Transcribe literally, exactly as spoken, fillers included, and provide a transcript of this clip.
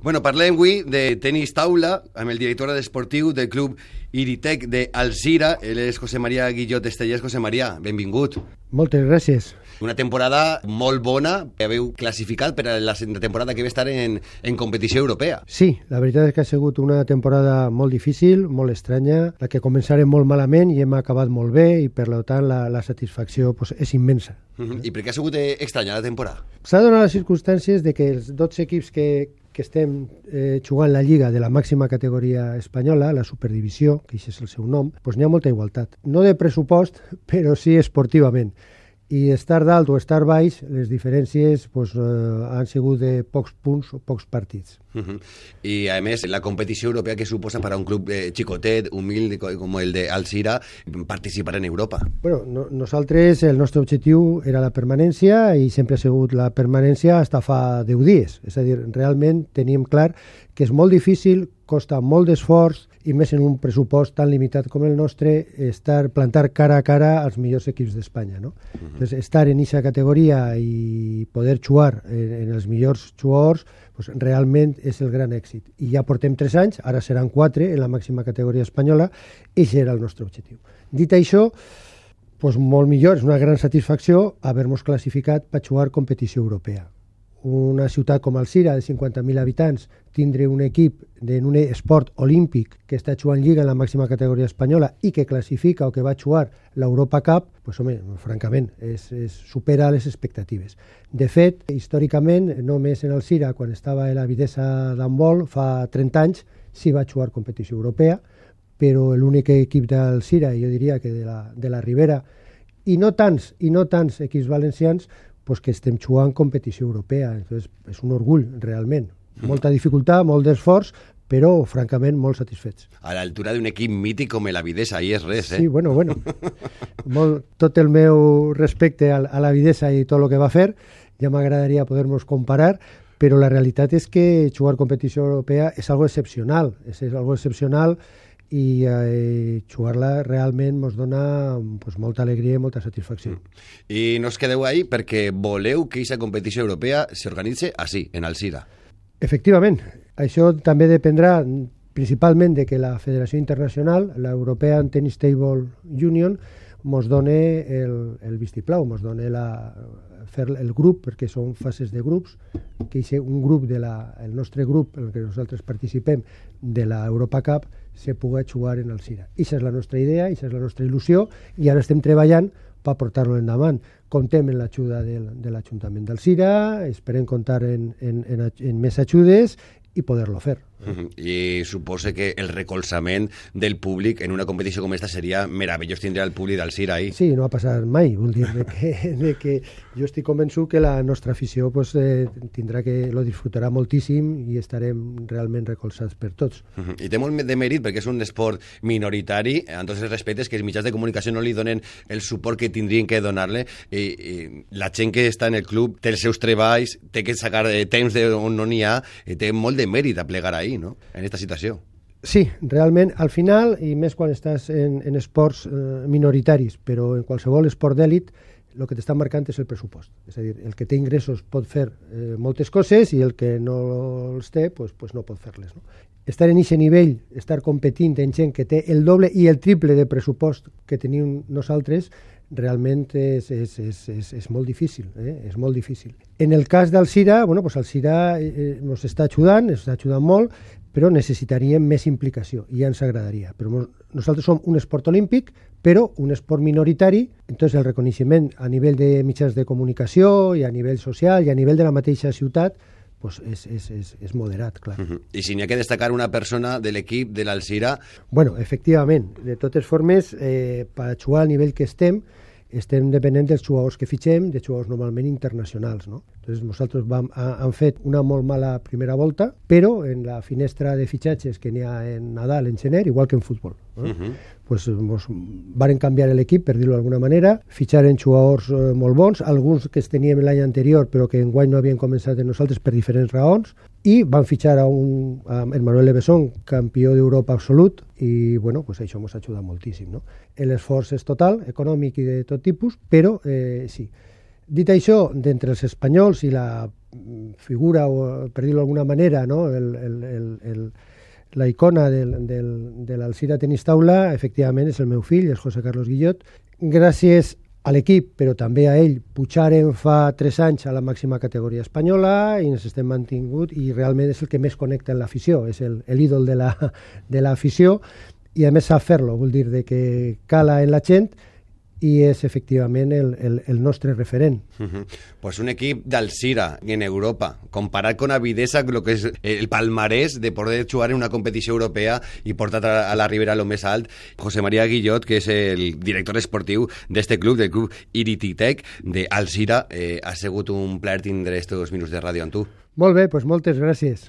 Bueno, parlem avui de tenis taula amb el director esportiu del club Iritec d'Alzira. Ell és José María Guillot Estellers. José María, benvingut. Moltes gràcies. Una temporada molt bona. Haveu classificat per a la temporada que ve estar en, en competició europea. Sí, la veritat és que ha sigut una temporada molt difícil, molt estranya, la que començarem molt malament i hem acabat molt bé i per tant la, la satisfacció pues, és immensa. Uh-huh. I per què ha sigut estranya la temporada? S'ha donat les circumstàncies de que els dotze equips que, que estem eh, jugant la Lliga de la màxima categoria espanyola, la Superdivisió, que això és el seu nom, doncs n'hi ha molta igualtat. No de pressupost, però sí esportivament. I estar dalt o estar baix, les diferències pues, eh, han sigut de pocs punts o pocs partits. Uh-huh. I a més, la competició europea que suposa per a un club eh, xicotet, humil, com el d'Alzira, participar en Europa. Bueno, no, nosaltres, el nostre objectiu era la permanència i sempre ha sigut la permanència fins fa deu dies. És a dir, realment teníem clar que és molt difícil, costa molt d'esforç i més en un pressupost tan limitat com el nostre, estar, plantar cara a cara als millors equips d'Espanya. No? Uh-huh. Entonces, estar en aquesta categoria i poder jugar en, en els millors jugadors pues, realment és el gran èxit. I ja portem tres anys, ara seran quatre en la màxima categoria espanyola, i aquest era el nostre objectiu. Dit això, pues, molt millor, és una gran satisfacció haver-nos classificat per jugar competició europea. Una ciutat com Alzira, de cinquanta mil habitants, tindre un equip en un esport olímpic que està jugant Lliga en la màxima categoria espanyola i que classifica o que va jugar l'Europa Cup, pues, home, francament, és, és, supera les expectatives. De fet, històricament, només en Alzira, quan estava a la Vitessa d'handbol, fa trenta anys, sí va jugar competició europea, però l'únic equip d'Alzira, jo diria que de la, de la Ribera, i no tants, i no tants equips valencians, pues que estem jugant competició europea. Entonces, és un orgull, realment. Molta dificultat, molt d'esforç, però, francament, molt satisfets. A l'altura d'un equip mític com l'Avidesa, ahí és res, eh? Sí, bueno, bueno. Molt, tot el meu respecte a, a l'Avidesa i tot el que va fer, ja m'agradaria poder-nos comparar, però la realitat és que jugar competició europea és algo excepcional, és, és algo excepcional i eh, jugar-la realment ens dona pues, molta alegria i molta satisfacció. Mm. I no us quedeu ahí perquè voleu que aquesta competició europea s'organitze així, en Alzira. Efectivament. Això també dependrà principalment de que la Federació Internacional, la European Tennis Table Union, ens doni el, el vistiplau, ens doni la, fer el grup, perquè són fases de grups, que és un grup, de la, el nostre grup, en el que nosaltres participem, de l'Europa Cup, se pugui jugar en Alzira. Ixa és la nostra idea, ixa és la nostra il·lusió, i ara estem treballant per portar-lo endavant. Contem en l'ajuda del, de l'Ajuntament d'Alzira, esperem comptar en, en, en, en més ajudes i poder-lo fer. Uh-huh. I suposo que el recolzament del públic en una competició com esta seria meravellós tindre el públic d'Alzira ahí. Sí, no va passar mai, vull dir de que, de que jo estic convençut que la nostra afició pues, eh, tindrà que lo disfrutarà moltíssim i estarem realment recolzats per tots. Uh-huh. I té molt de mèrit perquè és un esport minoritari, en tots els respectes, que els mitjans de comunicació no li donen el suport que tindrien que donar-li. I, i la gent que està en el club té els seus treballs, té que sacar eh, temps d'on no n'hi ha, i té molt de mèrit a plegar ahí, no? En aquesta situació. Sí, realment, al final, i més quan estàs en, en esports eh, minoritaris, però en qualsevol esport d'èlit, el que t'està marcant és el pressupost. És a dir, el que té ingressos pot fer eh, moltes coses i el que no els té, pues, pues no pot fer-les. No? Estar en aquest nivell, estar competint en gent que té el doble i el triple de pressupost que tenim nosaltres, realment és, és, és, és, és molt difícil, eh? és molt difícil. En el cas d'Alzira, bueno, pues Alzira eh, ens està ajudant, ens està ajudant molt, però necessitaríem més implicació i ja ens agradaria. Però nosaltres som un esport olímpic, però un esport minoritari, entonces el reconeixement a nivell de mitjans de comunicació i a nivell social i a nivell de la mateixa ciutat pues és, és, és, és moderat, clar. Uh-huh. I si n'hi ha que destacar una persona de l'equip de l'Alzira... Bueno, efectivament, de totes formes, eh, per jugar al nivell que estem, estem depenent dels jugadors que fitxem, de jugadors normalment internacionals, no? Entonces, nosaltres vam, ha, han fet una molt mala primera volta, però en la finestra de fitxatges que n'hi ha en Nadal, en gener, igual que en futbol, no? Uh-huh. Pues, mos varen canviar l'equip, per dir-ho d'alguna manera, fitxaren jugadors eh, molt bons, alguns que es teníem l'any anterior, però que enguany no havien començat en nosaltres per diferents raons, i van fitxar a un a Manuel Levesón, campió d'Europa absolut, i bueno, pues això ens ha ajudat moltíssim, no? L'esforç és total, econòmic i de tot tipus, però eh, sí, Dit això, d'entre els espanyols i la figura, o per dir-ho d'alguna manera, no? el, el, el, el, la icona del, del, de l'Alzira Tenis Taula, efectivament, és el meu fill, és José Carlos Guillot. Gràcies a l'equip, però també a ell, pujaren fa tres anys a la màxima categoria espanyola i ens estem mantingut i realment és el que més connecta en l'afició, és el, l'ídol de, la, de l'afició i a més sap fer-lo, vol dir de que cala en la gent i és efectivament el, el, el nostre referent. Uh-huh. Pues un equip d'Alzira en Europa, comparat con avidesa lo que és el palmarès de poder jugar en una competició europea i portar a la Ribera lo més alt. José María Guillot, que és el director esportiu d'este club, del club Irititec d'Alzira, eh, ha sigut un plaer tindre estos minuts de ràdio amb tu. Molt bé, pues moltes gràcies.